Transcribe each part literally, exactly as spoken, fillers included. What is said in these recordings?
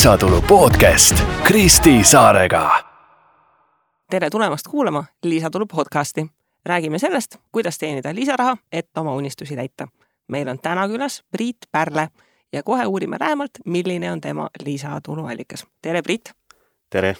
lisatulu podcast Kristi Saarega. Tere tulemast kuulama lisatulu podcasti. Räägime sellest, kuidas teenida lisaraha, et oma unistusi täita. Meil on täna külas Priit Pärle ja kohe uurime lähemalt, milline on tema lisatuluallikas. Tere, Priit! Tere!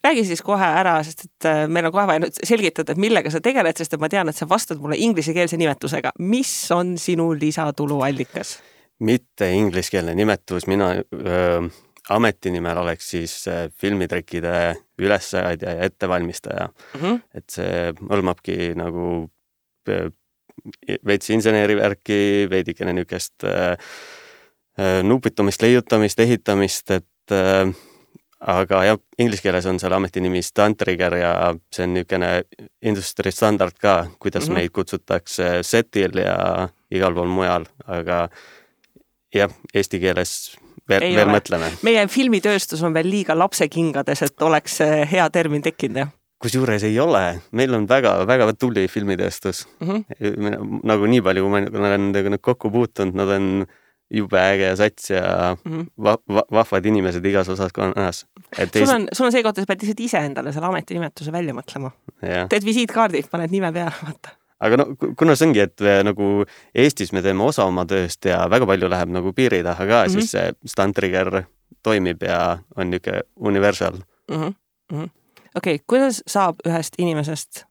Räägi siis kohe ära, sest et meil on kohe vaja nüüd selgitada, et millega sa tegeled, sest et ma tean, et sa vastad mulle ingliskeelse nimetusega. Mis on sinu lisatuluallikas? Mitte ingliskeelne nimetus, mina öö, ametinimel oleks siis filmitrekkide ülessaadja ja ettevalmistaja. Mm-hmm. Et see hõlmabki nagu veits insenerivärki, veidikene niukest nupitumist, leiutamist, ehitamist, et öö, aga jah, inglise keeles on seal ametinimi stunt rigger ja see on niukene industry standard ka, kuidas mm-hmm. meid kutsutakse setil ja igal pool mujal, aga jah, eesti keeles veel, veel mõtleme. Meie filmitööstus on veel liiga lapsekingades, et oleks hea termin tekkinud, jah? Kusjuures ei ole. Meil on väga, väga tuli filmitööstus. Mm-hmm. Nagu nii palju, kui ma olen nendega kokku puutunud, nad on jube äge sats ja mm-hmm. va- va- vahvad inimesed igas osas konnas. Et sul, on, sul on see kohta, sa pead lihtsalt ise endale selle ametinimetuse välja mõtlema. Ja. Teed visiitkaardi, paned nime peale, vaata. Aga no, kuna see ongi, et nagu Eestis me teeme osa oma tööst ja väga palju läheb nagu piiri taha ka, mm-hmm. siis see stunt rigger toimib ja on niuke universal. Mm-hmm. Mm-hmm. Okei, okay, kuidas saab ühest inimesest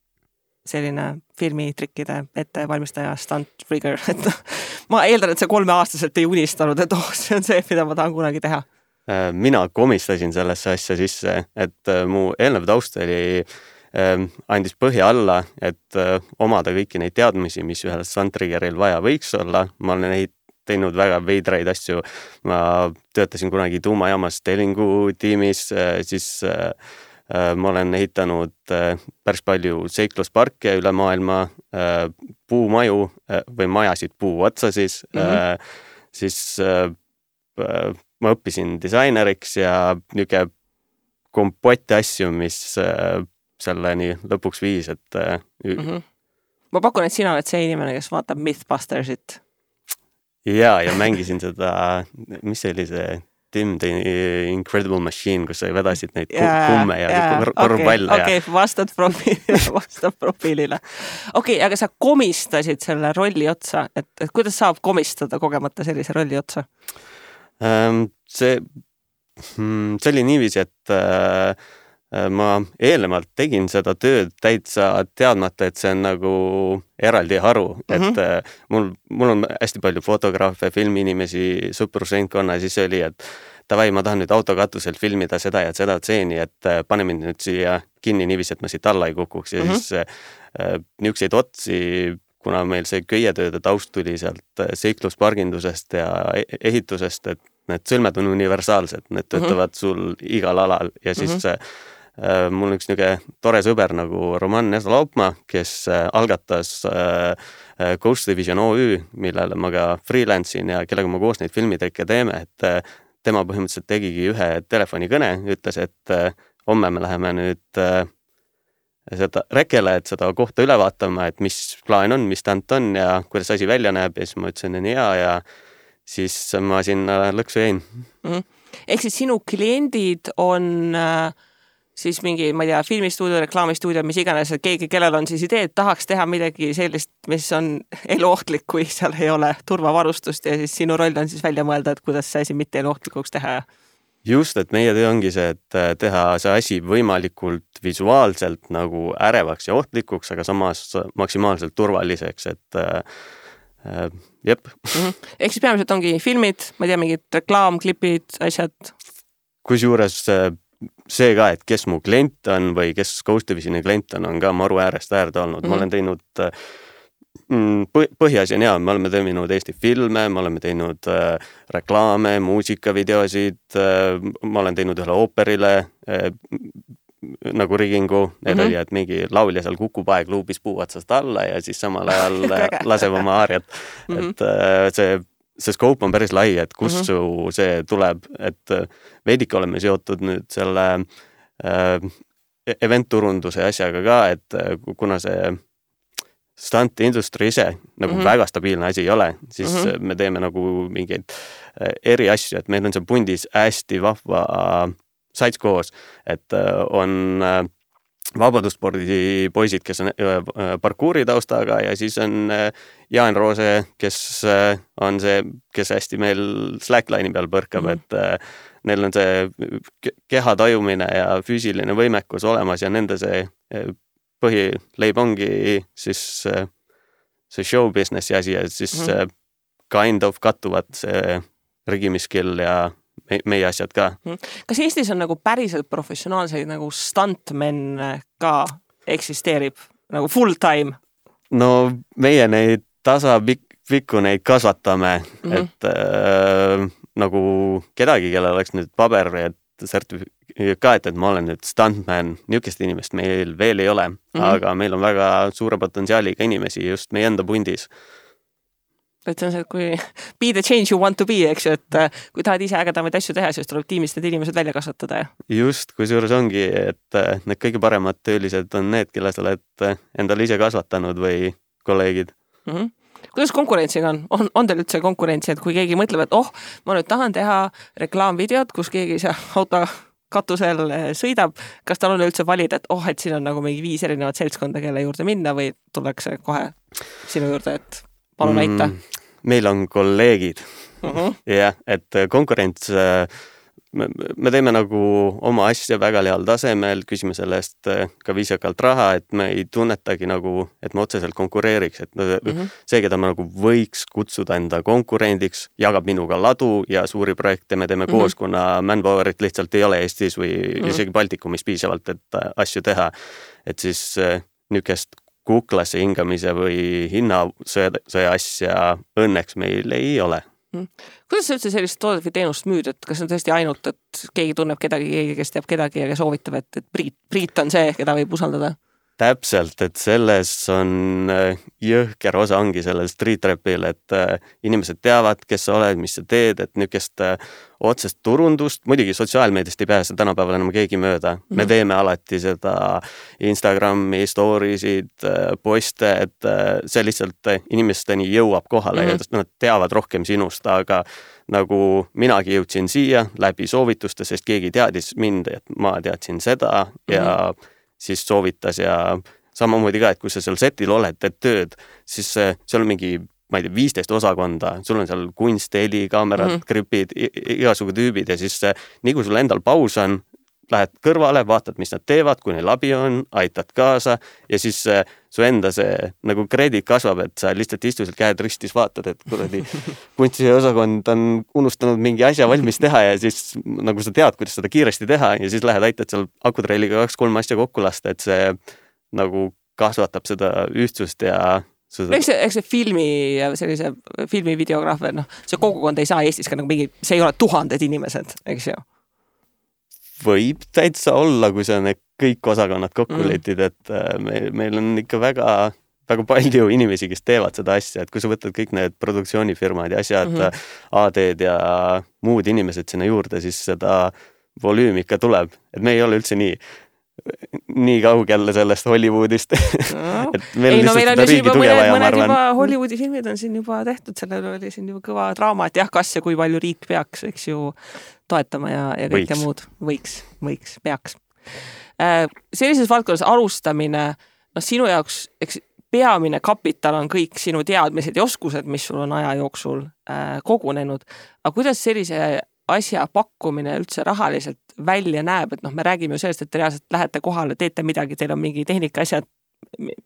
selline filmitrikkide ettevalmistaja stunt rigger? Et ma eeldan, et see kolmeaastaselt ei unistanud, et oh, see on see, mida ma tahan kunagi teha. Mina komistasin sellesse asja sisse, et mu eelnev taust oli andis põhja alla, et omada kõiki neid teadmisi, mis ühel stunt riggeril vaja võiks olla. Ma olen neid teinud väga veidraid asju. Ma töötasin kunagi tuumajaamas Telingu tiimis, siis ma olen ehitanud päris palju seiklusparke üle maailma, puumaju või majasid puu otsa siis. Mm-hmm. Siis ma õppisin disaineriks ja niuke kompotti asju, mis selleni lõpuks viis, et mm-hmm. ma pakun, et sina oled see inimene, kes vaatab Mythbustersit. Ja, ja mängisin seda, mis see oli see Tim the Incredible Machine, kus sa vedasid neid yeah, kumme ja yeah, korvpalle. Okei, okay, okay, vastad profiilile, vastad profiilile. Okei, okay, aga sa komistasid selle rolli otsa, et, et kuidas saab komistada kogemata sellise rolli otsa? Um, see, see oli niiviisi, et uh, ma eelnevalt tegin seda tööd täitsa teadmata, et see on nagu eraldi haru, mm-hmm. et mul, mul on hästi palju fotograafe, filmiinimesi, sõprusringkonna, siis oli, et tavai, ma tahan nüüd autokatuselt filmida seda ja seda tseeni, et pane mind nüüd siia kinni niiviisi, et ma siit alla ei kukuks ja mm-hmm. siis äh, niukseid otsi, kuna meil see köietööde taust tuli sealt seikluspargindusest ja ehitusest, et need sõlmed on universaalsed, need töötavad mm-hmm. sul igal alal ja siis mm-hmm. äh, mul on üks niuke tore sõber nagu Roman Nesla-Laupmaa, kes äh, algatas äh, Ghost Division O Ü, millele ma ka freelance'in ja kellega ma koos neid filmitrekke teeme, et äh, tema põhimõtteliselt tegigi ühe telefonikõne, ütles, et äh, homme me läheme nüüd äh, seda rekele, et seda kohta üle vaatama, et mis plaan on, mis tant on ja kuidas asi välja näeb ja siis ma ütlesin, et hea ja siis ma sinna lõksu jäin. Mm-hmm. Ehk siis sinu kliendid on äh, siis mingi, ma ei tea, filmistuudio, reklaamistuudio, mis iganes, et keegi, kellel on siis idee, et tahaks teha midagi sellist, mis on eluohtlik, kui seal ei ole turvavarustust ja siis sinu roll on siis välja mõelda, et kuidas see asi mitte eluohtlikuks teha. Just, et meie töö ongi see, et teha see asi võimalikult visuaalselt nagu ärevaks ja ohtlikuks, aga samas maksimaalselt turvaliseks, et äh, jep. Mm-hmm. Ehk siis peamiselt ongi filmid, ma ei tea, mingid reklaamklipid, asjad? Kusjuures see ka, et kes mu klient on või kes Ghost Divisioni klient on, on ka maru äärest äärde olnud. Mm-hmm. Ma olen teinud põhiasi on hea, me oleme teinud Eesti filme, me oleme teinud äh, reklaame, muusikavideosid, äh, ma olen teinud ühele ooperile äh, nagu rigingu, need mm-hmm. oli, et mingi laulja seal kukub aeg luubis puu otsast alla ja siis samal ajal laseb oma aariat. Mm-hmm. Et äh, see, see scope on päris lai, et kus mm-hmm. su see tuleb, et veidike oleme seotud nüüd selle äh, event-turunduse asjaga ka, et kuna see stunt industry ise nagu mm -hmm. väga stabiilne asi ei ole, siis mm -hmm. me teeme nagu mingeid eri asju, et meil on see pundis hästi vahva sites koos, et on vabadusspordi poisid, kes on parkuuri taustaga ja siis on Jaan Roose, kes on see, kes hästi meil slackline'i peal põrkab, mm -hmm. et neil on see keha tajumine ja füüsiline võimekus olemas ja nende see põhileib ongi siis see show businessi asi ja siis mm -hmm. kind of kattuvad see rigimiskill ja me, meie asjad ka. Kas Eestis on nagu päriselt professionaalseid nagu stuntmen ka eksisteerib nagu full time? No meie neid tasapikku neid kasvatame, mm -hmm. et äh, nagu kedagi, kellel oleks nüüd paber, et sertifikaat, et ma olen nüüd stuntman, niisugust inimest meil veel ei ole, mm -hmm. aga meil on väga suure potentsiaaliga inimesi just meie enda pundis. Et see on see, et kui be the change you want to be, eks ju, et kui tahad ise ägedamaid asju teha, siis tuleb tiimist need inimesed välja kasvatada. Just, kui suures ongi, et need kõige paremad töölised on need, kelle sa oled endale ise kasvatanud või kolleegid. Mm -hmm. Kuidas konkurentsiga on? On, on teil üldse konkurentsi, et kui keegi mõtleb, et oh, ma nüüd tahan teha reklaamvideot, kus keegi see auto katusel sõidab, kas tal on üldse valida, et oh, et siin on nagu mingi viis erinevat seltskonda, kelle juurde minna või tullakse kohe sinu juurde, et palun mm, aita? Meil on kolleegid. Uh -huh. jah, et konkurents, me, me teeme nagu oma asja väga heal tasemel, küsime selle eest ka viisakalt raha, et me ei tunnetagi nagu, et me otseselt konkureeriks, et uh -huh. see, keda me nagu võiks kutsuda enda konkurendiks, jagab minuga ladu ja suuri projekte me teeme uh -huh. koos, kuna manpowerit lihtsalt ei ole Eestis või uh -huh. isegi Baltikumis piisavalt, et asju teha. Et siis niisugust kuklasse hingamise või hinnasõja asja õnneks meil ei ole. Kuidas sa üldse sellist toodet või teenust müüd, et kas on tõesti ainult, et keegi tunneb kedagi, keegi, kes teab kedagi ja soovitab, et, et Priit, Priit on see, keda võib usaldada? Täpselt, et selles on jõhker osa ongi sellel street rapil, et inimesed teavad, kes sa oled, mis sa teed, et niisugust otsest turundust, muidugi sotsiaalmeediast ei pääse tänapäeval enam keegi mööda. Mm -hmm. Me teeme alati seda Instagrami storiesid, poste, et see lihtsalt inimesteni jõuab kohale mm -hmm. ja nad teavad rohkem sinust, aga nagu minagi jõudsin siia läbi soovituste, sest keegi teadis mind, et ma teadsin seda ja mm -hmm. siis soovitas ja samamoodi ka, et kui sa seal setil oled, teed tööd, siis seal on mingi, ma ei tea, viisteist osakonda, sul on seal kunst, heli, kaamerad, mm -hmm. gripid, igasugu tüübid ja siis nii kui sul endal paus on, lähed kõrvale, vaatad, mis nad teevad, kui neil abi on, aitad kaasa ja siis su enda see nagu krediit kasvab, et sa lihtsalt istusid käed ristis, vaatad, et kuradi kunstiosakond on unustanud mingi asja valmis teha ja siis nagu sa tead, kuidas seda kiiresti teha ja siis lähed aitad seal akutreiliga kaks-kolm asja kokku lasta, et see nagu kasvatab seda ühtsust ja seda... Eks see, eks see filmi ja sellise filmivideograafer, noh, see kogukond ei saa Eestis ka nagu mingi, see ei ole tuhanded inimesed, eks ju? Võib täitsa olla, kui sa need kõik osakonnad kokku mm. letid, et meil, meil on ikka väga, väga palju inimesi, kes teevad seda asja, et kui sa võtad kõik need produktsioonifirmad ja asjad mm, -hmm. A D-d ja muud inimesed sinna juurde, siis seda volüümi ikka tuleb, et me ei ole üldse nii nii kaugel sellest Hollywoodist. No. et meil ei, no meil on juba mõned, mõned juba Hollywoodi filmid on siin juba tehtud, sellel oli siin juba kõva draama, et jah, kas ja kui palju riik peaks, eks ju, toetama ja, ja kõike võiks. muud. Võiks, võiks, peaks. Sellises valdkonnas alustamine, noh, sinu jaoks, eks peamine kapital on kõik sinu teadmised ja oskused, mis sul on aja jooksul äh, kogunenud. Aga kuidas sellise asja pakkumine üldse rahaliselt välja näeb, et noh, me räägime ju sellest, et te reaalselt lähete kohale, teete midagi, teil on mingi tehnika asjad,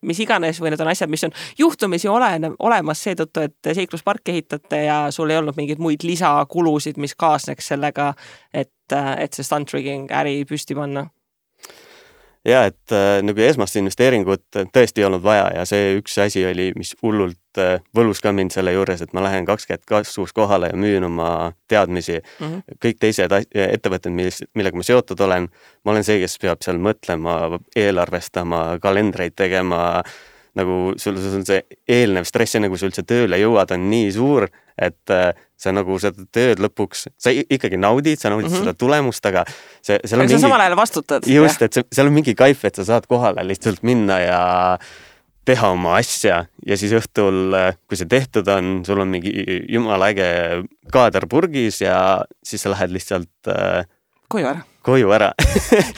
mis iganes või need on asjad, mis on juhtumisi ole, olemas seetõttu, et seiklusparki ehitate ja sul ei olnud mingeid muid lisakulusid, mis kaasneks sellega, et, et see stunt rigging äri püsti panna. Ja, et äh, nagu esmast investeeringut tõesti ei olnud vaja ja see üks asi oli, mis hullult äh, võlus ka mind selle juures, et ma lähen kakskümmend kasvus kohale ja müün oma teadmisi. Mm -hmm. Kõik teised ettevõtted, millega ma seotud olen, ma olen see, kes peab seal mõtlema, eelarvestama, kalendreid tegema, nagu sul on see eelnev stress, enne kui sa üldse tööle jõuad, on nii suur, et äh, sa nagu seda tööd lõpuks, sa ikkagi naudid, sa naudid mm -hmm. seda tulemust, aga see, seal on aga mingi... sa samal ajal vastutad. Just, et see, seal on mingi kaif, et sa saad kohale lihtsalt minna ja teha oma asja ja siis õhtul, kui see tehtud on, sul on mingi jumala äge kaader purgis ja siis sa lähed lihtsalt äh, koju ära. Koju ära.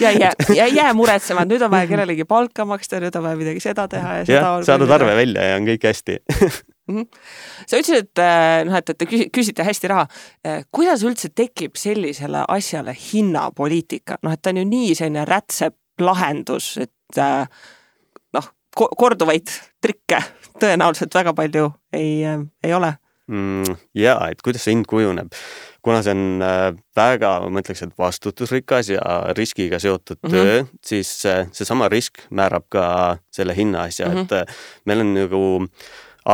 ja jää, ja jää muretsema, et nüüd on vaja kellelegi palka maksta, nüüd on vaja midagi seda teha. Ja, ja saadad arve välja ja on kõik hästi. mm-hmm. Sa ütlesid, et, noh, et, et te küsite hästi raha. Kuidas üldse tekib sellisele asjale hinnapoliitika? Noh, et ta on ju nii selline rätsep lahendus, et noh, korduvaid trikke tõenäoliselt väga palju ei, ei ole. Mm, jaa, et kuidas see hind kujuneb. Kuna see on väga, ma ütleks, et vastutusrikas ja riskiga seotud mm-hmm. töö, siis see sama risk määrab ka selle hinna asja, mm-hmm. et meil on nagu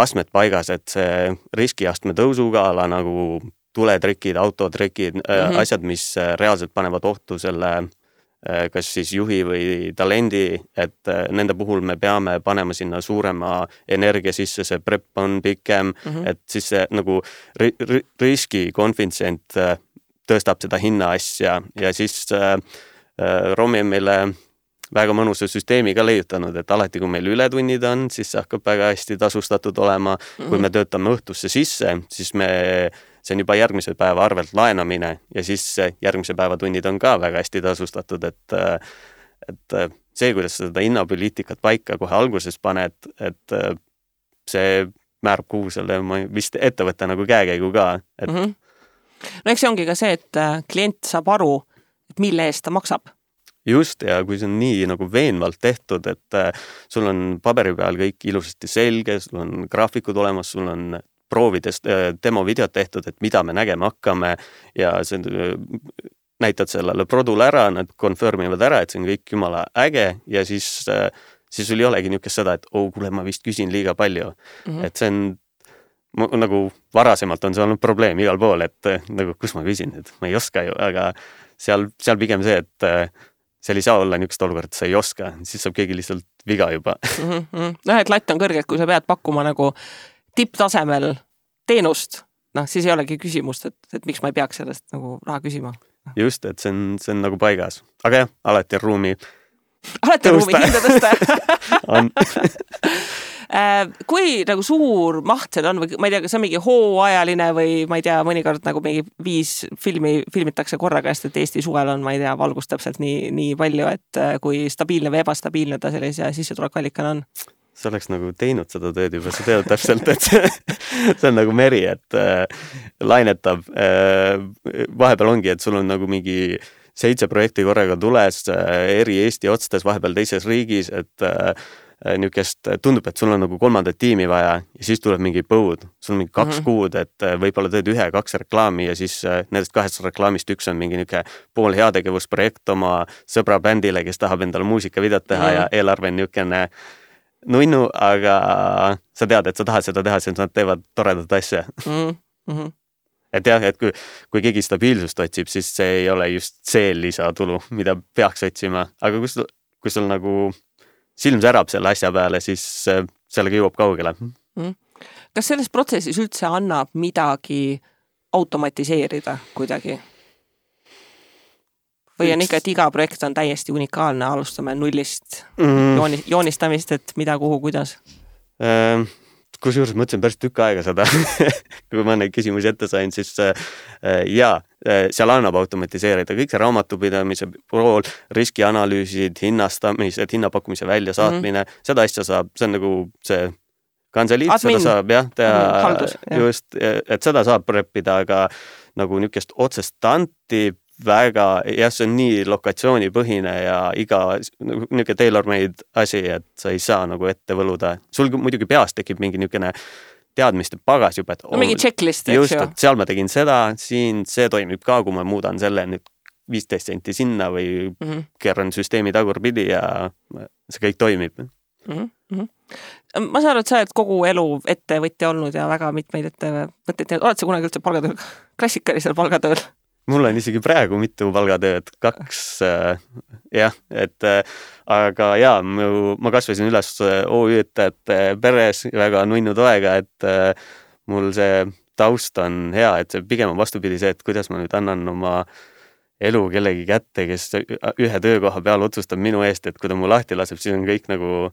astmed paigas, et see riskiastme tõusuga ala nagu tuletrikid, autotrikid, mm-hmm. asjad, mis reaalselt panevad ohtu selle kas siis juhi või talendi, et nende puhul me peame panema sinna suurema energia sisse, see prep on pikem, mm-hmm. et siis see nagu ri- ri- riski konfitsient tõstab seda hinna asja ja siis äh, Romi on meile väga mõnusa süsteemi ka leiutanud, et alati, kui meil ületunnid on, siis see hakkab väga hästi tasustatud olema. Mm-hmm. Kui me töötame õhtusse sisse, siis me see on juba järgmise päeva arvelt laenamine ja siis järgmise päeva tunnid on ka väga hästi tasustatud, et, et see, kuidas seda hinnapoliitikat paika kohe alguses paned, et see määrab kuhu selle vist ettevõtte nagu käekäigu ka. Et... Mm-hmm. No eks see ongi ka see, et klient saab aru, et mille eest ta maksab. Just, ja kui see on nii nagu veenvalt tehtud, et sul on paberi peal kõik ilusasti selge, sul on graafikud olemas, sul on proovides demo videot tehtud, et mida me nägema hakkame ja see, näitad sellele produle ära, nad confirmivad ära, et see on kõik jumala äge ja siis, siis sul ei olegi niisugust seda, et oh, kuule, ma vist küsin liiga palju. Mm-hmm. Et see on nagu varasemalt on see olnud probleem igal pool, et nagu kus ma küsin, et ma ei oska ju, aga seal, seal pigem see, et seal ei saa olla niisugust olukord, et sa ei oska, siis saab keegi lihtsalt viga juba. Mm-hmm. Noh, et latt on kõrge, et kui sa pead pakkuma nagu tipptasemel teenust, noh, siis ei olegi küsimust, et, et miks ma ei peaks sellest nagu raha küsima. Just, et see on, see on nagu paigas. Aga jah, alati on ruumi alati on ruumi hinda tõsta. on. Kui nagu suur maht seal on või ma ei tea, kas on mingi hooajaline või ma ei tea, mõnikord nagu mingi viis filmi filmitakse korraga, sest et Eesti suvel on, ma ei tea, valgust täpselt nii, nii palju, et kui stabiilne või ebastabiilne ta sellise sissetulekuallikana on? Sa oleks nagu teinud seda tööd juba, sa tead täpselt, et see, see on nagu meri, et äh, lainetab. Äh, vahepeal ongi, et sul on nagu mingi seitse projekti korraga tules, äh, eri Eesti otstes, vahepeal teises riigis, et äh, niukest tundub, et sul on nagu kolmandat tiimi vaja ja siis tuleb mingi põud. Sul on mingi kaks mm-hmm. kuud, et võib-olla teed ühe, kaks reklaami ja siis nendest kahest reklaamist üks on mingi niuke pool heategevusprojekt oma sõbra bändile, kes tahab endale muusikavideot teha mm-hmm. ja eelarve on niukene nunnu, aga sa tead, et sa tahad seda teha, siis nad teevad toredat asja. Mm-hmm. Et jah, et kui, kui keegi stabiilsust otsib, siis see ei ole just see lisatulu, mida peaks otsima. Aga kui sul, kui sul nagu silm särab selle asja peale, siis sellega jõuab kaugele. Mm-hmm. Kas selles protsessis üldse annab midagi automatiseerida kuidagi? Või on ikka, et iga projekt on täiesti unikaalne, alustame nullist mm. jooni, joonistamist, et mida, kuhu, kuidas? Ähm, kus juures mõtlesin päris tükk aega seda, kui ma neid küsimusi ette sain, siis äh, jaa, seal annab automatiseerida kõik see raamatupidamise pool, riskianalüüsid, hinnastamised, hinnapakkumise väljasaatmine, mm. seda asja saab, see on nagu see kanseliit, Admin. Seda saab jah, teha mm, haldus, just, et seda saab preppida, aga nagu niisugust otsest tanti väga, jah, see on nii lokatsioonipõhine ja iga niisugune tailor-made asi, et sa ei saa nagu ette võluda. Sul muidugi peas tekib mingi niisugune teadmiste pagas juba, et no, mingi checklist, just, et seal ma tegin seda, siin see toimib ka, kui ma muudan selle nüüd viisteist senti sinna või mm-hmm. keeran süsteemi tagurpidi ja see kõik toimib. Mm-hmm. Ma saan aru, et sa oled kogu elu ettevõtja olnud ja väga mitmeid ettevõtteid. Oled sa kunagi üldse palgatööl, klassikalisel palgatööl? Mul on isegi praegu mitu palgatööd, kaks, äh, jah, et äh, aga jaa, ma kasvasin üles O Ü-töötajate peres väga nunnu toega, et äh, mul see taust on hea, et see pigem on vastupidi see, et kuidas ma nüüd annan oma elu kellegi kätte, kes ühe töökoha peal otsustab minu eest, et kui ta mu lahti laseb, siis on kõik nagu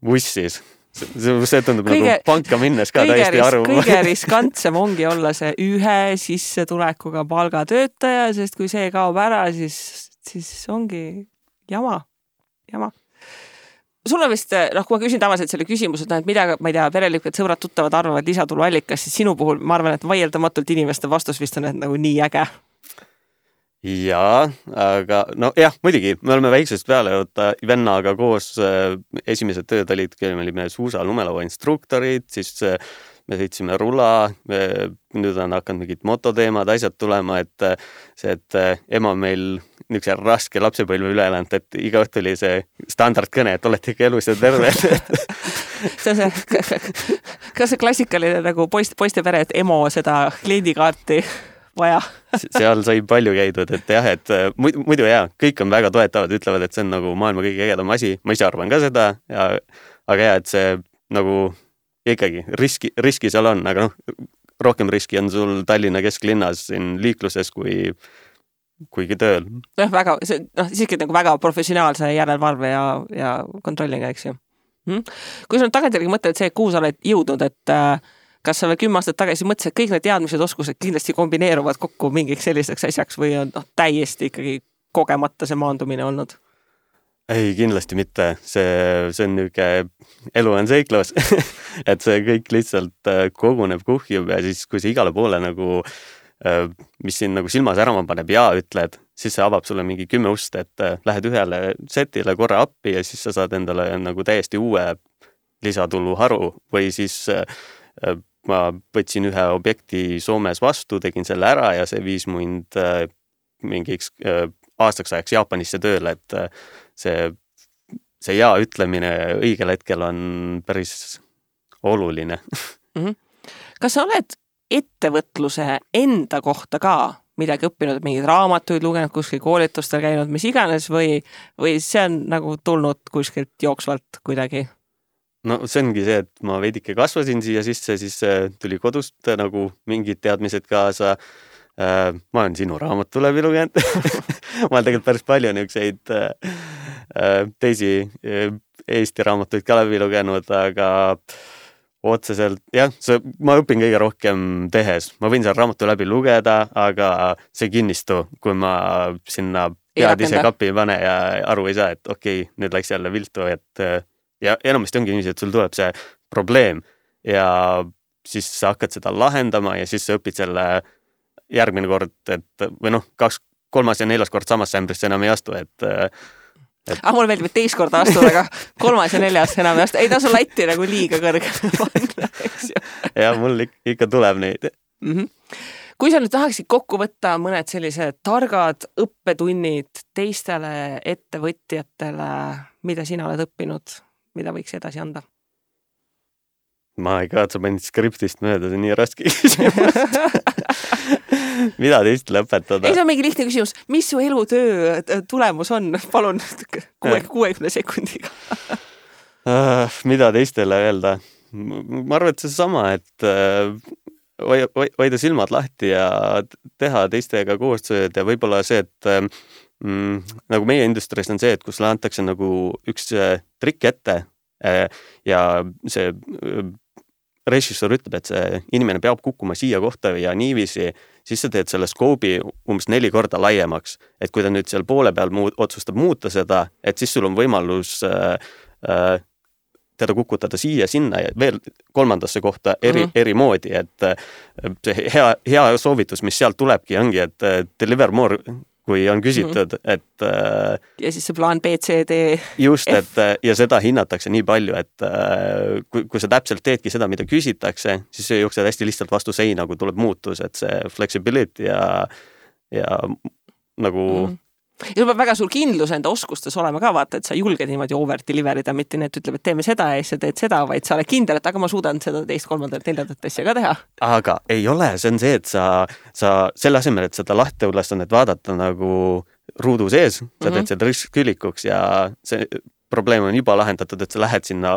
bussis. See, see tundub kõige, nagu panka minnes ka täiesti ris, aru. Kõige riskantsem ongi olla see ühe sissetulekuga palgatöötaja, sest kui see kaob ära, siis, siis ongi jama, jama. Sul on vist, noh, kui ma küsin tavaliselt selle küsimuse, et mida, ma ei tea, pereliikmed, sõbrad, tuttavad arvavad lisatulu allikas, siis sinu puhul ma arvan, et vaieldamatult inimeste vastus vist on, et nagu nii äge. Jaa, aga no jah, muidugi, me oleme väiksest peale võtta vennaga koos esimesed tööd olid, me olime suusa lumelava instruktorid, siis me sõitsime rula, nüüd on hakanud mingid mototeemad, asjad tulema, et see, et ema meil niisuguse raske lapsepõlve üle elanud, et iga õhtu oli see standardkõne, et olete ikka elus ja terve. see on see, kas see klassikaline nagu poist, poiste pere, et emo seda kliendikaarti vaja? Seal sai palju käidud, et jah, et muidu jah, kõik on väga toetavad, ütlevad, et see on nagu maailma kõige ägedam asi, ma ise arvan ka seda, ja, aga jah, et see nagu ikkagi riski, riski seal on, aga noh, rohkem riski on sul Tallinna kesklinnas siin liikluses kui kuigi tööl. Noh, väga, see, noh, siiski nagu väga professionaalse järelevalve ja, ja kontrolliga, eks ju. Hmm? Kui sa nüüd tagantjärgi mõtled, et see, kuhu sa oled jõudnud, et äh, kas sa veel kümme aastat tagasi mõtlesid, et kõik need teadmised, oskused kindlasti kombineeruvad kokku mingiks selliseks asjaks või on noh, täiesti ikkagi kogemata see maandumine olnud? Ei, kindlasti mitte. See, see on niisugune elu on seiklus, et see kõik lihtsalt koguneb, kuhjub ja siis, kui see igale poole nagu mis siin nagu silmas ära paneb ja ütled, siis see avab sulle mingi kümme ust, et lähed ühele setile korra appi ja siis sa saad endale nagu täiesti uue lisatuluharu või siis ma võtsin ühe objekti Soomes vastu, tegin selle ära ja see viis mind mingiks aastaks ajaks Jaapanisse tööle, et see, see ja ütlemine õigel hetkel on päris oluline. Mm-hmm. Kas sa oled ettevõtluse enda kohta ka midagi õppinud, mingid raamatuid lugenud, kuskil koolitustel käinud, mis iganes või, või see on nagu tulnud kuskilt jooksvalt kuidagi? No see ongi see, et ma veidike kasvasin siia sisse, siis tuli kodust nagu mingid teadmised kaasa. Ma olen sinu raamatu läbi lugenud. Ma olen tegelikult päris palju niisuguseid teisi Eesti raamatuid ka läbi lugenud, aga otseselt, jah, see, ma õpin kõige rohkem tehes. Ma võin seal raamatu läbi lugeda, aga see kinnistu, kui ma sinna pead ise kapi pane ja aru ei saa, et okei, okay, nüüd läks jälle viltu, et ja enamasti ongi niiviisi, et sul tuleb see probleem ja siis sa hakkad seda lahendama ja siis sa õpid selle järgmine kord, et või noh, kaks, kolmas ja neljas kord samasse ämbrisse enam ei astu, et Et... Ah, mul meeldib, et teist korda astuda, aga kolmas ja neljas enam ei astu. Ei tasu latti nagu liiga kõrge panna, eks ju. Ja, mul ikka tuleb neid. Mm-hmm. Kui sa nüüd tahaksid kokku võtta mõned sellised targad õppetunnid teistele ettevõtjatele, mida sina oled õppinud, mida võiks edasi anda? Ma ei kaatsa mõned skriptist mööda, see on nii raske küsimus. Mida teist lõpetada? Ei, see on mingi lihtne küsimus. Mis su elutöö tulemus on? Palun kuuekümne sekundiga. uh, mida teistele öelda? Ma arvan, et see sama, et uh, hoida silmad lahti ja teha teistega koostööd ja võib-olla see, et mm, nagu meie industries on see, et kus antakse nagu üks trikk ette uh, ja see uh, režissöör ütleb, et see inimene peab kukkuma siia kohta ja niiviisi, siis sa teed selle skoobi umbes neli korda laiemaks. Et kui ta nüüd seal poole peal muud, otsustab muuta seda, et siis sul on võimalus äh, äh, teda kukutada siia, sinna ja veel kolmandasse kohta eri, mm-hmm. eri moodi. Et äh, see hea, hea soovitus, mis sealt tulebki, ongi, et äh, deliver more, kui on küsitud, mm-hmm. et äh, ja siis see plaan B, C, D, just, et ja seda hinnatakse nii palju, et äh, kui, kui sa täpselt teedki seda, mida küsitakse, siis see jooksed hästi lihtsalt vastu seina, kui tuleb muutus, et see flexibility ja, ja nagu mm-hmm. ja sul peab väga suur kindlus enda oskustes olema ka, vaata, et sa julged niimoodi over deliverida, mitte need ütleb, et teeme seda ja siis sa teed seda, vaid sa oled kindel, et aga ma suudan seda teist, kolmandat, neljandat asja ka teha. Aga ei ole, see on see, et sa, sa selle asemel, et seda lahte ülesannet vaadata nagu ruudu sees, sa teed mm-hmm. seda ristkülikuks ja see probleem on juba lahendatud, et sa lähed sinna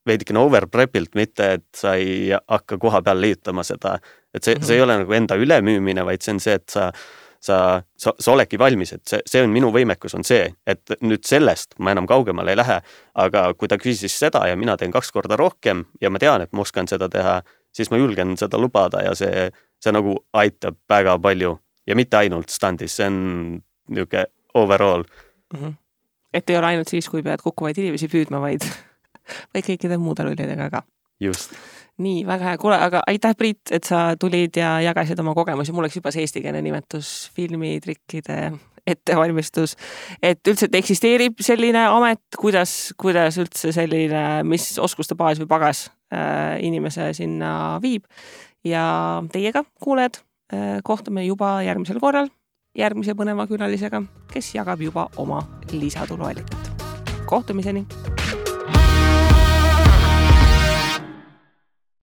veidikene overprepilt, mitte et sa ei hakka koha peal liitama seda. Et see, mm-hmm. see ei ole nagu enda ülemüümine, vaid see on see, et sa sa, sa, sa oledki valmis, et see, see on minu võimekus on see, et nüüd sellest ma enam kaugemale ei lähe, aga kui ta küsis seda ja mina teen kaks korda rohkem ja ma tean, et ma oskan seda teha, siis ma julgen seda lubada ja see, see nagu aitab väga palju ja mitte ainult standis, see on niisugune overall. Mm-hmm. Et ei ole ainult siis, kui pead kukkuvaid inimesi püüdma, vaid, vaid kõikide muude rollidega ka. Just. Nii, väga hea. Kuule, aga aitäh, Priit, et sa tulid ja jagasid oma kogemusi. Mul oleks juba see eestikeelne nimetus filmitrikkide ettevalmistus. Et üldse, et eksisteerib selline amet, kuidas, kuidas üldse selline, mis oskuste baas või pagas äh, inimese sinna viib. Ja teiega, kuuled, äh, kohtume juba järgmisel korral järgmise põneva külalisega, kes jagab juba oma lisatuluallikat. Kohtumiseni!